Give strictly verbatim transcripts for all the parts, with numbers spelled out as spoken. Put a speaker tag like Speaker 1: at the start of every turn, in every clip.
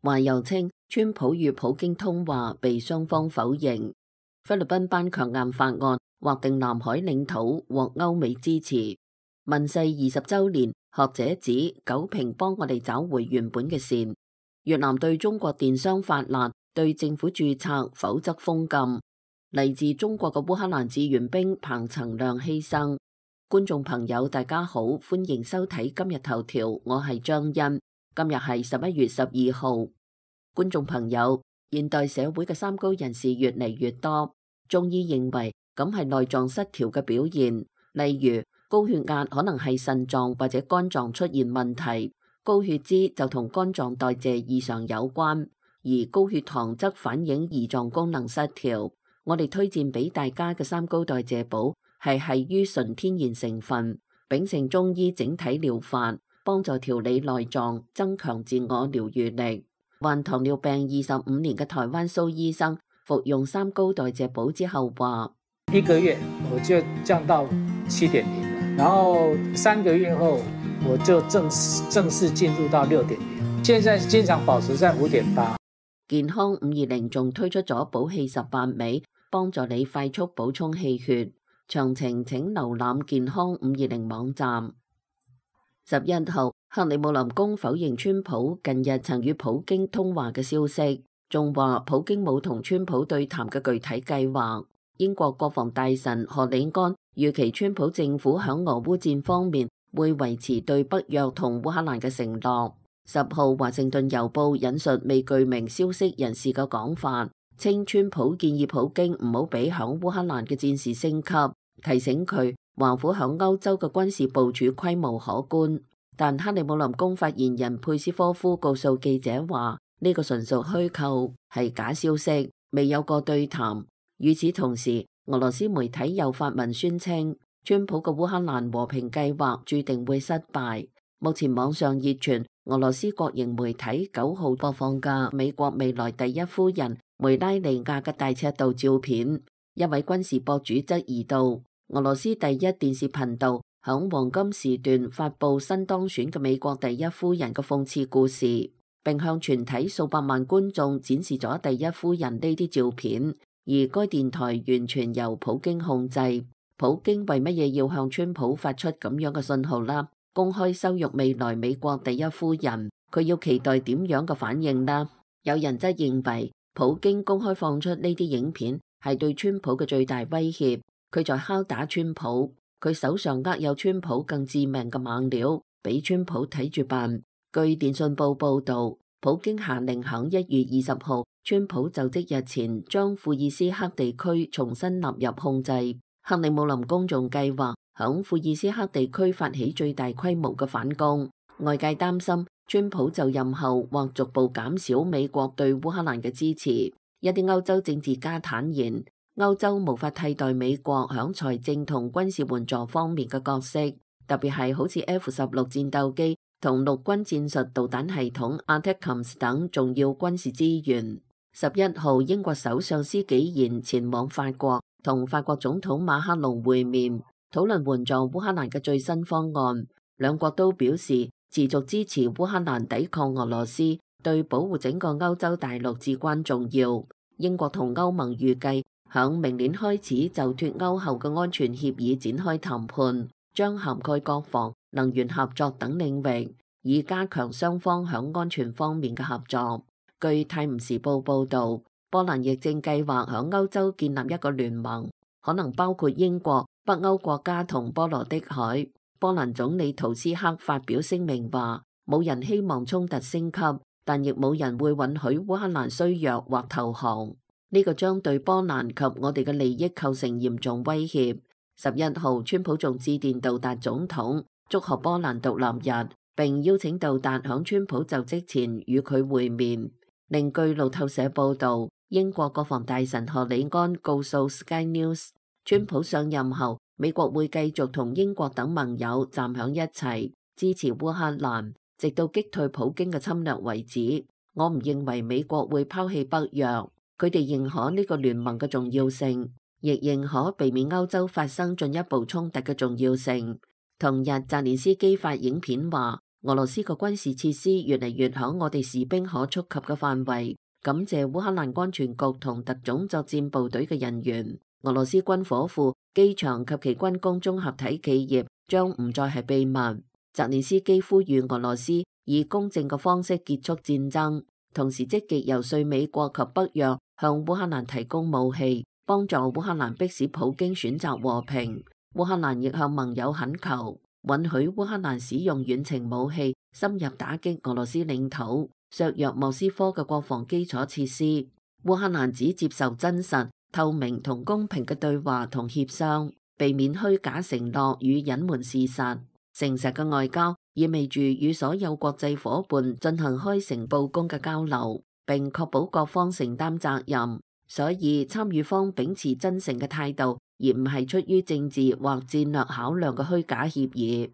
Speaker 1: 話又稱川普與普京通話被雙方否認。菲律賓頒強硬法案，劃定南海領土獲歐美支持。問世二十週年，學者指九平幫我哋找回原本嘅善。越南對中國電商發難，對政府註冊否則封禁。嚟自中國嘅烏克蘭志願兵彭曾亮犧牲。觀眾朋友大家好，歡迎收睇今日頭條，我係張欣。今日係十一月十二號。觀眾朋友，現代社會嘅三高人士越嚟越多，中醫認為咁係內臟失調嘅表現，例如高血壓可能係腎臟或者肝臟出現問題，高血脂就同肝臟代謝異常有關，而高血糖則反映胰臟功能失調。我哋推薦俾大家嘅三高代謝寶係係於純天然成分，秉承中醫整體療法，幫助調理內臟，增強自我療愈力。患糖尿病二十五年嘅台灣蘇醫生服用三高代謝寶之後話：
Speaker 2: 一個月我就降到七點零，然後三個月後我就正正式進入到六點零，現在經常保持在五點八。
Speaker 1: 健康五二零仲推出咗補氣十八味，幫助你快速補充氣血。詳情請瀏覽健康五二零網站。十一號，克里姆林宮否認川普近日曾與普京通話嘅消息，仲話普京冇同川普對談嘅具體計劃。英國國防大臣何里安預期川普政府響俄烏戰方面會維持對北約同烏克蘭嘅承諾。十號，華盛頓郵報引述未具名消息人士嘅講法，稱川普建議普京唔好俾響烏克蘭嘅戰事升級，提醒佢華府響歐洲嘅軍事部署規模可觀。但克里姆林宮發言人佩斯科夫告訴記者話，呢個純屬虛構，係假消息，未有過對談。與此同時，俄羅斯媒體又發文宣稱，川普嘅烏克蘭和平計劃注定會失敗。目前網上熱傳俄羅斯國營媒體九號播放嘅美國未來第一夫人梅拉尼亞嘅大尺度照片。一位軍事博主質疑道，俄羅斯第一電視頻道響黃金時段發佈新當選嘅美國第一夫人嘅諷刺故事，並向全體數百萬觀眾展示咗第一夫人呢啲照片，而該電台完全由普京控制。普京為乜嘢要向川普發出咁樣嘅信號啦？公開羞辱未來美國第一夫人，佢要期待點樣嘅反應啦？有人則認為普京公開放出呢啲影片係對川普嘅最大威脅，佢在敲打川普，佢手上握有川普更致命嘅猛料，俾川普睇住辦。據電訊報報道，普京下令響一月二十號，川普就職日前將庫爾斯克地區重新納入控制。克里姆林宮仲計劃響庫爾斯克地區發起最大規模嘅反攻。外界擔心川普就任後或逐步減少美國對烏克蘭嘅支持。一啲歐洲政治家坦言，歐洲無法替代美國響財政同軍事援助方面嘅角色，特別係好似 F 十六戰鬥機同陸軍戰術導彈系統 ATACMS 等重要軍事資源。十一號，英國首相施紀賢前往法國，同法國總統馬克龍會面，討論援助烏克蘭嘅最新方案。兩國都表示持續支持烏克蘭抵抗俄羅斯，對保護整個歐洲大陸至關重要。英國同歐盟預計響明年開始就脫歐後嘅安全協議展開談判，將涵蓋國防、能源合作等領域，以加強雙方響安全方面嘅合作。據《泰晤士報》報導，波蘭亦正計劃響歐洲建立一個聯盟，可能包括英國、北歐國家同波羅的海。波蘭總理圖斯克發表聲明話，冇人希望衝突升級，但亦冇人會允許烏克蘭衰弱或投降。呢個將對波蘭及我哋嘅利益構成嚴重威脅。十一號，川普仲致電杜達總統，祝賀波蘭獨立日，並邀請杜達響川普就職前與佢會面。另據路透社報導，英國國防大臣何里安告訴 Sky News， 川普上任後，美國會繼續同英國等盟友站響一齊，支持烏克蘭，直到擊退普京嘅侵略為止。我唔認為美國會拋棄北約，佢哋認可呢個聯盟嘅重要性，亦認可避免歐洲發生進一步衝突嘅重要性。同日，澤連斯基發影片話，俄羅斯嘅軍事設施越嚟越響我哋士兵可觸及嘅範圍。感謝烏克蘭安全局同特種作戰部隊嘅人員。俄羅斯軍火庫、機場及其軍工綜合體企業將唔再係秘密。澤連斯基呼籲俄羅斯以公正嘅方式結束戰爭，同時積極游說美國及北約向烏克蘭提供武器，幫助烏克蘭迫使普京選擇和平。烏克蘭亦向盟友懇求，允許烏克蘭使用遠程武器深入打擊俄羅斯領土，削弱莫斯科嘅國防基礎設施。烏克蘭只接受真實、透明同公平嘅對話同協商，避免虛假承諾與隱瞞事實。誠實嘅外交意味住與所有國際夥伴進行開誠佈公嘅交流，並確保各方承擔責任。所以參與方秉持真誠嘅態度，而唔係出於政治或戰略考量嘅虛假協議。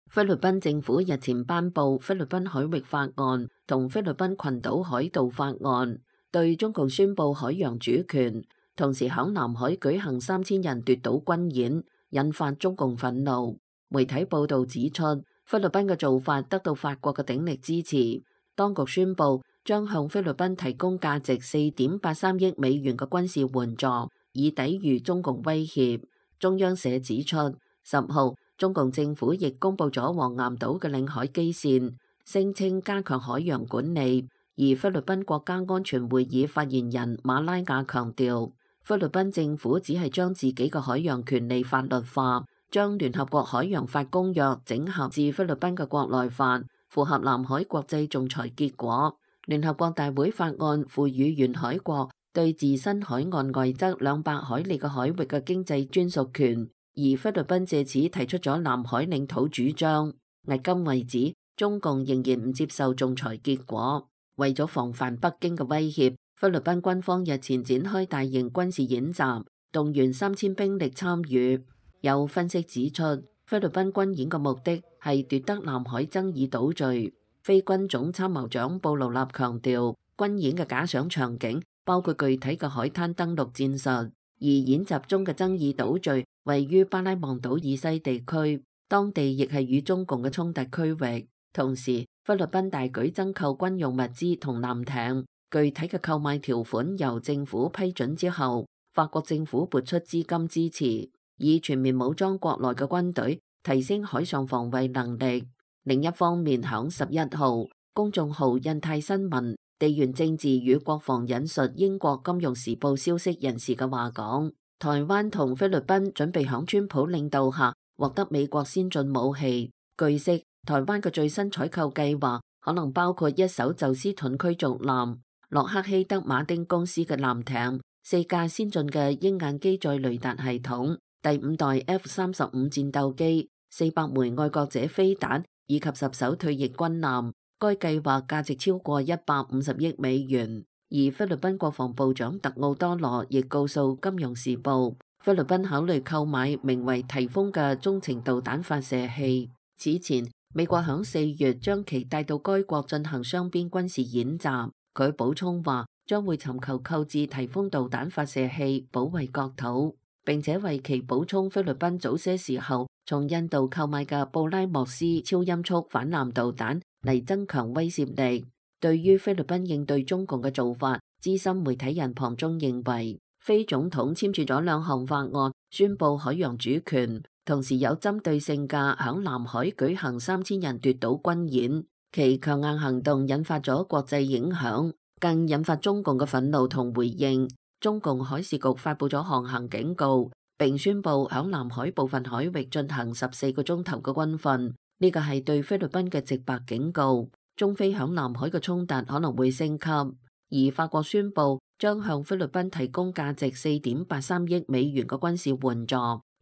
Speaker 1: 菲律賓政府日前頒布菲律賓海域法案同菲律賓群島海盜法案，對中共宣布海洋主權，同時響南海舉行三千人奪島軍演，引發中共憤怒。媒體報道指出，菲律賓嘅做法得到法國嘅鼎力支持，當局宣布將向菲律賓提供價值四點八三億美元嘅軍事援助，以抵禦中共威脅。中央社指出，十號中共政府亦公布咗黃岩島嘅領海基線，聲稱加強海洋管理。而菲律賓國家安全會議發言人馬拉雅強調，菲律賓政府只係將自己嘅海洋權利法律化，將聯合國海洋法公約整合至菲律賓嘅國內法，符合南海國際仲裁結果。聯合國大會法案賦予沿海國對自身海岸外側兩百海里嘅海域嘅經濟專屬權。而菲律賓借此提出咗南海領土主張，迄今為止，中共仍然唔接受仲裁結果。為咗防範北京嘅威脅，菲律賓軍方日前展開大型軍事演習，動員三千兵力參與。有分析指出，菲律賓軍演嘅目的係奪得南海爭議島嶼。菲軍總參謀長布勞納強調，軍演嘅假想場景包括具體嘅海灘登陸戰術，而演習中嘅爭議島嶼位於巴拉望島以西地區，當地亦係與中共嘅衝突區域。同時，菲律賓大舉增購軍用物資同艦艇，具體嘅購買條款由政府批准之後，法國政府撥出資金支持，以全面武裝國內嘅軍隊，提升海上防衛能力。另一方面，響十一號，公眾號印太新聞地緣政治與國防引述英國金融時報消息人士嘅話講，台灣同菲律賓準備響川普領導下獲得美國先進武器。據悉，台灣嘅最新採購計劃可能包括一艘宙斯盾驅逐艦、洛克希德馬丁公司嘅艦艇、四架先進嘅鷹眼機載雷達系統、第五代 F 三十五戰鬥機、四百枚愛國者飛彈以及十艘退役軍艦。該計劃價值超過一百五十億美元。而菲律賓國防部長特奧多羅亦告訴《金融時報》，菲律賓考慮購買名為提豐嘅中程導彈發射器。此前，美國響四月將其帶到該國進行雙邊軍事演習。佢補充話，將會尋求購置提豐導彈發射器，保衛國土，並且為其補充菲律賓早些時候從印度購買嘅布拉莫斯超音速反艦導彈嚟增強威懾力。對於菲律賓應對中共嘅做法，資深媒體人龐中認為，菲總統簽署咗兩項法案，宣布海洋主權，同時有針對性嘅響南海舉行三千人奪島軍演。其強硬行動引發咗國際影響，更引發中共嘅憤怒同回應。中共海事局發布咗航行警告，並宣布響南海部分海域進行十四個鐘頭嘅軍訓。呢個係對菲律賓嘅直白警告。中菲響南海嘅衝突可能會升級，而法國宣布將向菲律賓提供價值四點八三億美元嘅軍事援助，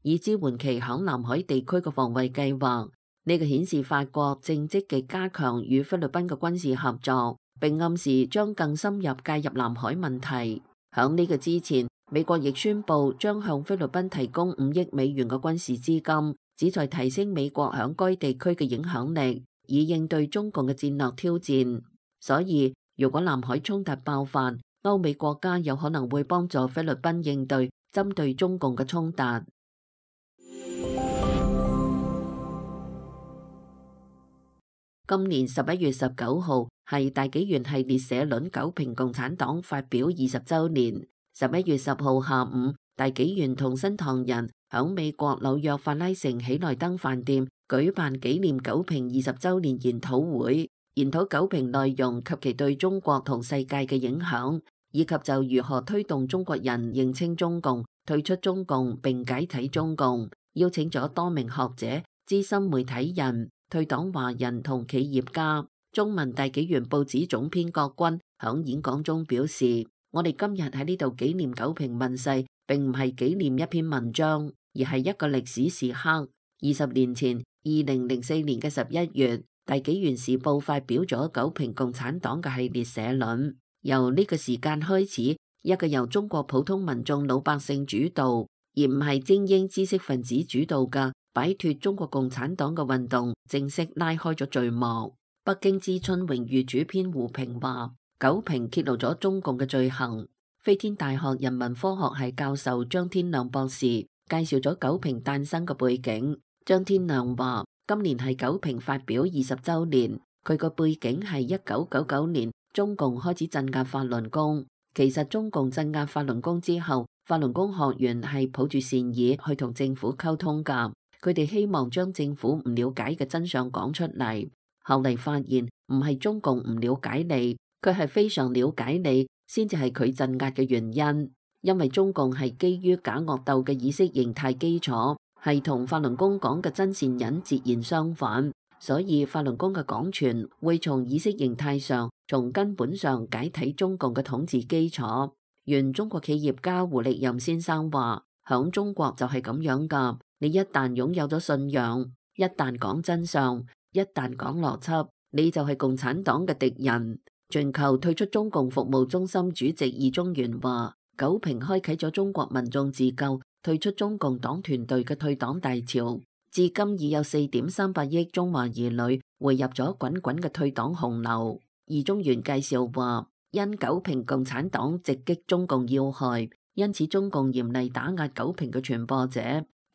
Speaker 1: 以支援其響南海地區嘅防衛計劃。呢個顯示法國正積極加強與菲律賓嘅軍事合作，並暗示將更深入介入南海問題。響呢個之前，美國亦宣布將向菲律賓提供五億美元嘅軍事資金，旨在提升美國響該地區嘅影響力，以應對中共嘅戰略挑戰。所以，如果南海衝突爆發，歐美國家有可能會幫助菲律賓應對針對中共嘅衝突。今年十一月十九號係大紀元系列社論九評共產黨發表二十週年。十一月十號下午，大紀元同新唐人響美國紐約法拉盛喜來登飯店舉辦紀念九評二十週年研討會，研討九評內容及其對中國同世界嘅影響，以及就如何推動中國人認清中共、退出中共並解體中共，邀請咗多名學者、資深媒體人、退黨華人同企業家。中文大紀元報紙總編郭軍響演講中表示：我哋今日喺呢度紀念九評問世，並唔係紀念一篇文章，而係一個歷史時刻。二十年前，二零零四年嘅十一月，大紀元時報發表咗九評共產黨嘅系列社論。由呢個時間開始，一個由中國普通民眾老百姓主導，而唔係精英知識分子主導嘅擺脫中國共產黨嘅運動正式拉開咗序幕。北京之春榮譽主編胡平話：九評揭露咗中共嘅罪行。飛天大學人文科學系教授張天亮博士介紹咗九評誕生嘅背景。張天亮話：今年係九評發表二十週年，佢個背景係一九九九年中共開始鎮壓法輪功。其實中共鎮壓法輪功之後，法輪功學員係抱住善意去同政府溝通㗎，佢哋希望將政府唔了解嘅真相講出嚟。後嚟發現唔係中共唔了解你，佢係非常了解你，先至係佢鎮壓嘅原因。因為中共係基於假惡鬥嘅意識形態基礎，係同法輪功講嘅真善忍截然相反，所以法輪功嘅廣傳會從意識形態上、從根本上解體中共嘅統治基礎。原中國企業家胡力任先生話：響中國就係咁樣噶，你一旦擁有咗信仰，一旦講真相，一旦講邏輯，你就係共產黨嘅敵人。全球退出中共服務中心主席易中原話：九評開啟咗中國民眾自救、退出中共黨團隊嘅退黨大潮，至今已有四點三八億中華兒女匯入咗滾滾嘅退黨洪流。易中原介紹話：因九評共產黨直擊中共要害，因此中共嚴厲打壓九評嘅傳播者。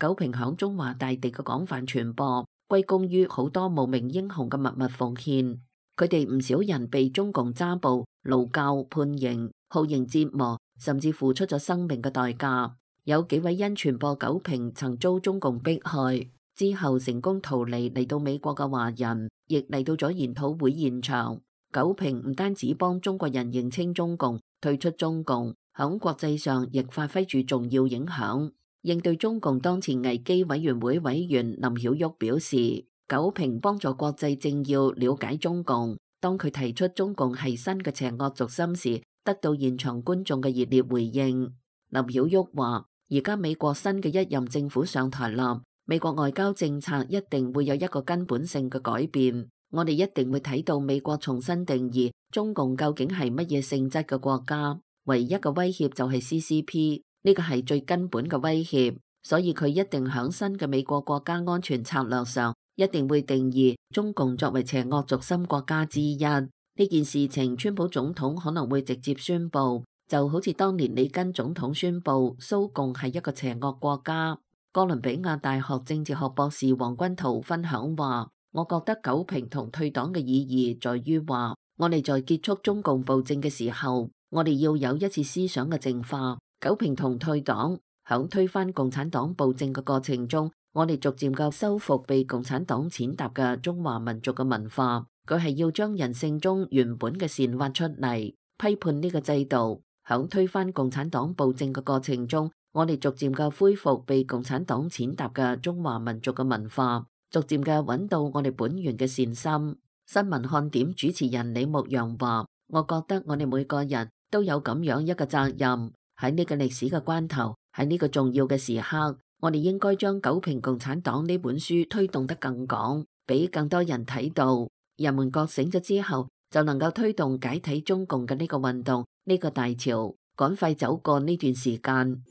Speaker 1: 九評響中華大地嘅廣泛傳播，歸功於好多無名英雄嘅默默奉獻。佢哋唔少人被中共揸捕、勞教、判刑、酷刑折磨，甚至付出咗生命嘅代價。有幾位因傳播九評曾遭中共迫害，之後成功逃離嚟到美國嘅華人，亦嚟到咗研討會現場。九評唔單止幫中國人認清中共、退出中共，響國際上亦發揮住重要影響。應對中共當前危機委員會委員林曉旭表示：九評幫助國際政要了解中共，當佢提出中共係新嘅邪惡軸心時，得到現場觀眾嘅熱烈回應。林曉旭話：而家美國新嘅一任政府上台啦，美國外交政策一定會有一個根本性嘅改變。我哋一定會睇到美國重新定義中共究竟係乜嘢性質嘅國家。唯一嘅威脅就係 C C P， 呢個係最根本嘅威脅。所以佢一定響新嘅美國國家安全策略上，一定會定義中共作為邪惡軸心國家之一。呢件事情，川普總統可能會直接宣布，就好似當年里根總統宣布蘇共係一個邪惡國家。哥倫比亞大學政治學博士黃君濤分享話：我覺得九評同退黨嘅意義在於話，我哋在結束中共暴政嘅時候，我哋要有一次思想嘅淨化。九評同退黨響推翻共產黨暴政嘅過程中，我哋逐漸嘅修復被共產黨踐踏嘅中華民族嘅文化。佢係要將人性中原本嘅善挖出嚟，批判呢個制度。響推翻共產黨暴政嘅過程中，我哋逐漸嘅恢復被共產黨踐踏嘅中華民族嘅文化，逐漸嘅揾到我哋本源嘅善心。新聞看點主持人李牧陽話：我覺得我哋每個人都有咁樣一個責任，喺呢個歷史嘅關頭，喺呢個重要嘅時刻，我哋應該將《九評共產黨》呢本書推動得更廣，俾更多人睇到。人們覺醒咗之後，就能夠推動解體中共嘅呢個運動，呢個大潮，趕快走過呢段時間。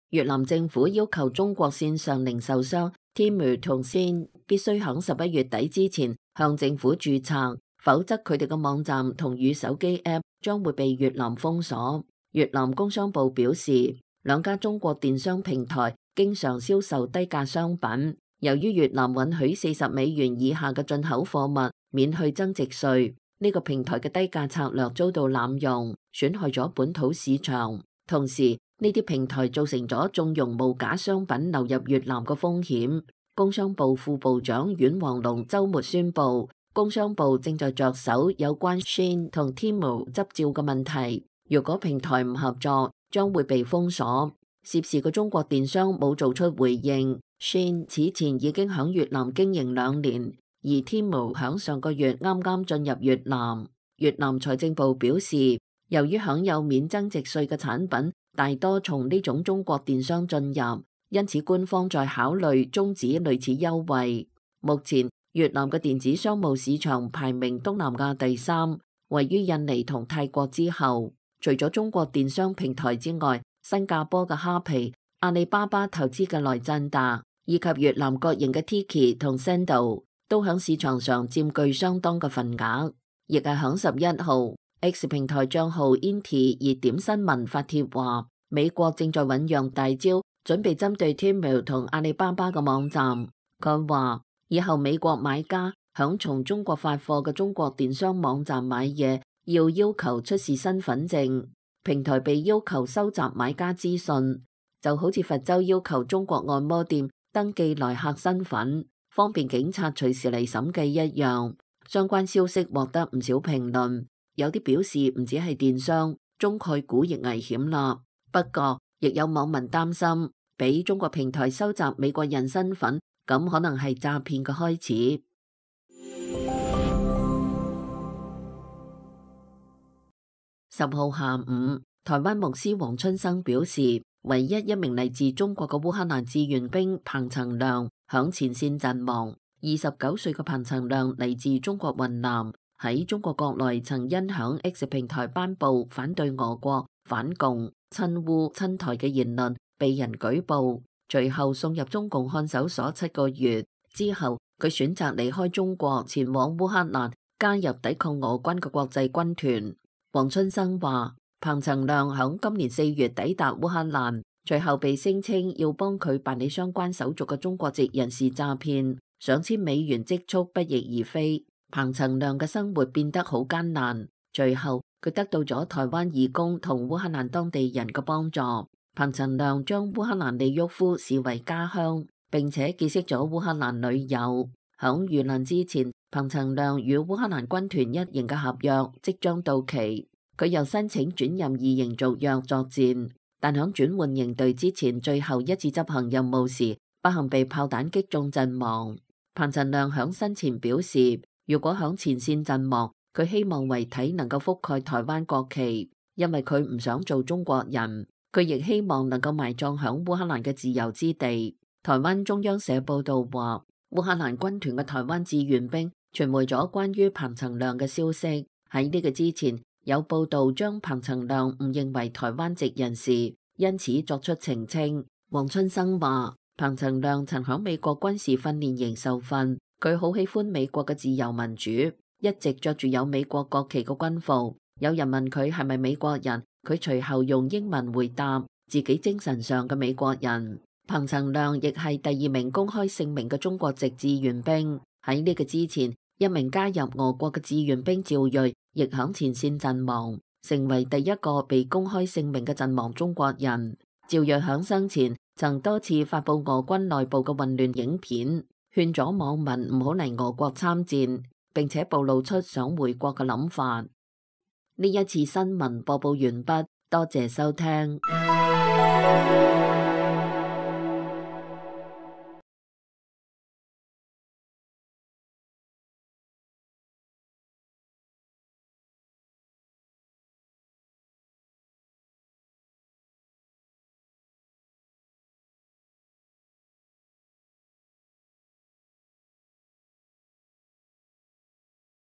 Speaker 1: 越南政府要求中國線上零售商 Temu 同 Shein 必須喺十一月底之前向政府註冊，否則佢哋嘅網站同與手機 App 將會被越南封鎖。越南工商部表示，兩家中國電商平台經常銷售低價商品。由於越南允許四十美元以下嘅進口貨物免去增值稅，呢個平台嘅低價策略遭到濫用，損害咗本土市場。同時，呢啲平台造成咗縱容無假商品流入越南嘅風險。工商部副部長阮黃龍週末宣布，工商部正在着手有關 Shein 同 Temu 執照嘅問題。如果平台唔合作，將會被封鎖。涉事嘅中國電商冇做出回應。Shein 此前已經響越南經營兩年，而 Temu 響上個月啱啱進入越南。越南財政部表示，由於享有免增值稅嘅產品大多從呢種中國電商進入，因此官方在考慮終止類似優惠。目前越南嘅電子商務市場排名東南亞第三，位於印尼同泰國之後。除咗中國電商平台之外，新加坡嘅蝦皮、阿里巴巴投資嘅來贊達，以及越南國營嘅 Tiki 同 Sendo 都響市場上佔據相當嘅份額。亦係響十一號 X 平台賬號 Inti 熱點新聞發帖話，美國正在醞釀大招，準備針對 Temu 同阿里巴巴嘅網站。佢話以後美國買家響從中國發貨嘅中國電商網站買嘢，要要求出示身份證。平台被要求收集買家資訊，就好似佛州要求中國按摩店登記來客身份，方便警察隨時嚟審計一樣。相關消息獲得唔少評論，有啲表示唔止係電商，中概股亦危險啦。不過，亦有網民擔心，俾中國平台收集美國人身份，咁可能係詐騙嘅開始。十號下午，台灣牧師黃春生表示，唯一一名嚟自中國嘅烏克蘭志願兵彭曾亮響前線陣亡。二十九歲嘅彭曾亮嚟自中國雲南，喺中國國內曾因響 X 平台頒布反對俄國、反共、親烏、親台嘅言論，被人舉報，隨後送入中共看守所七個月。之後，佢選擇離開中國，前往烏克蘭，加入抵抗俄軍嘅國際軍團。黃春生話，彭曾亮響今年四月抵達烏克蘭，隨後被聲稱要幫佢辦理相關手續嘅中國籍人士詐騙，上千美元積蓄不翼而飛。彭曾亮嘅生活變得好艱難，隨後佢得到咗台灣義工同烏克蘭當地人嘅幫助。彭曾亮將烏克蘭利沃夫視為家鄉，並且結識咗烏克蘭女友。響遇難之前，彭曾亮與烏克蘭軍團一營嘅合約即將到期，佢又申請轉任二營續約作戰，但響轉換營隊之前最後一次執行任務時，不幸被炮彈擊中陣亡。彭曾亮響生前表示，如果響前線陣亡，佢希望遺體能夠覆蓋台灣國旗，因為佢唔想做中國人。佢亦希望能夠埋葬響烏克蘭嘅自由之地。台灣中央社報道話，烏克蘭軍團嘅台灣志願兵傳媒咗關於彭曾亮嘅消息。喺呢個之前，有報道將彭曾亮誤認為台灣籍人士，因此作出澄清。黃春生話，彭曾亮曾響美國軍事訓練營受訓，佢好喜歡美國嘅自由民主，一直着住有美國國旗嘅軍服。有人問佢係咪美國人，佢隨後用英文回答自己精神上嘅美國人。彭曾亮亦係第二名公開姓名嘅中國籍志願兵。喺呢個之前，一名加入俄國嘅志願兵趙瑞亦響前線陣亡，成為第一個被公開姓名嘅陣亡中國人。趙瑞響生前曾多次發布俄軍內部嘅混亂影片，勸咗網民唔好嚟俄國參戰，並且暴露出想回國嘅諗法。呢一次新聞播報完畢，多謝收聽。